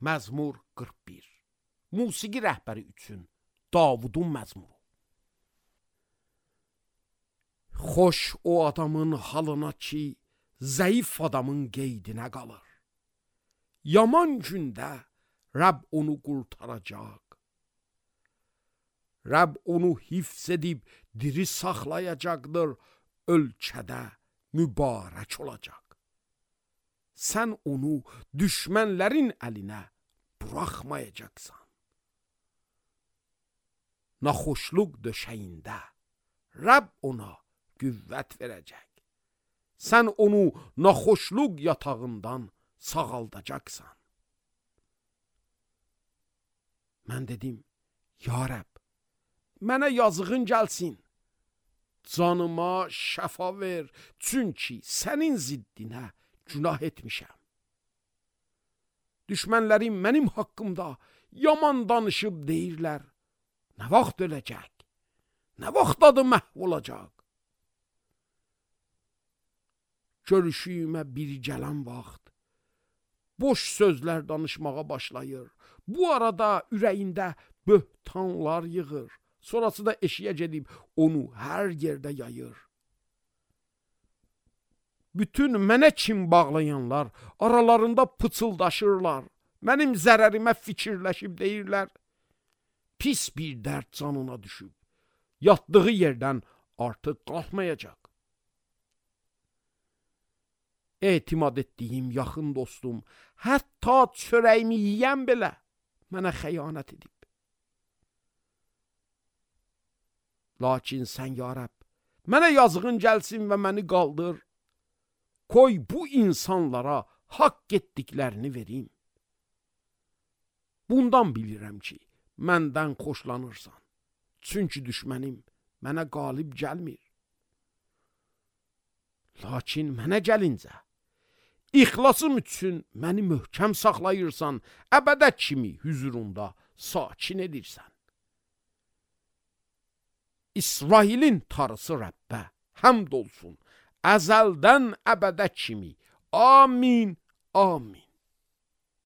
Məzmur 41. Musiqi rəhbəri üçün Davudun məzmuru. Xoş o adamın halına ki, zəif adamın qeydinə qalır. Yaman gündə Rəbb onu qurtaracaq. Rəbb onu hifz edib diri saxlayacaqdır, ölkədə mübarək olacaq. Sən onu düşmənlərin əlinə buraxmayacaqsan. Naxoşluq döşəyində Rəbb ona qüvvət verəcək. Sən onu naxoşluq yatağından sağaldacaqsan. Mən dedim, ya Rəbb, mənə yazığın gəlsin. Canıma şəfa ver, çünki sənin ziddinə günah etmişəm. Düşmənlərim mənim haqqımda yaman danışıb deyirlər, nə vaxt öləcək, nə vaxt adı məhv olacaq. Görüşüyümə biri gələn vaxt, boş sözlər danışmağa başlayır. Bu arada ürəyində böhtanlar yığır. Sonrası da eşiyə gedib onu hər yerdə yayır. Bütün mənə kim bağlayanlar aralarında pıçıldaşırlar. Mənim zərərimə fikirləşib deyirlər, pis bir dərd canına düşüb. Yatdığı yerdən artıq qalxmayacaq. Etimad etdiyim yaxın dostum, hətta çörəyimi yiyən belə mənə xəyanət edib. Lakin sən ya Rəbb, mənə yazığın gəlsin və məni qaldır. Koy bu insanlara haqq etdiklərini verim. Bundan bilirəm ki, məndən xoşlanırsan. Çünki düşmənim mənə qalib gəlmir. Lakin mənə gəlincə, İxlasım üçün məni möhkəm saxlayırsan, əbədə kimi hüzurunda sakin edirsən. İsrailin tarısı Rəbbə həmd olsun, əzəldən əbədə kimi. Amin, amin.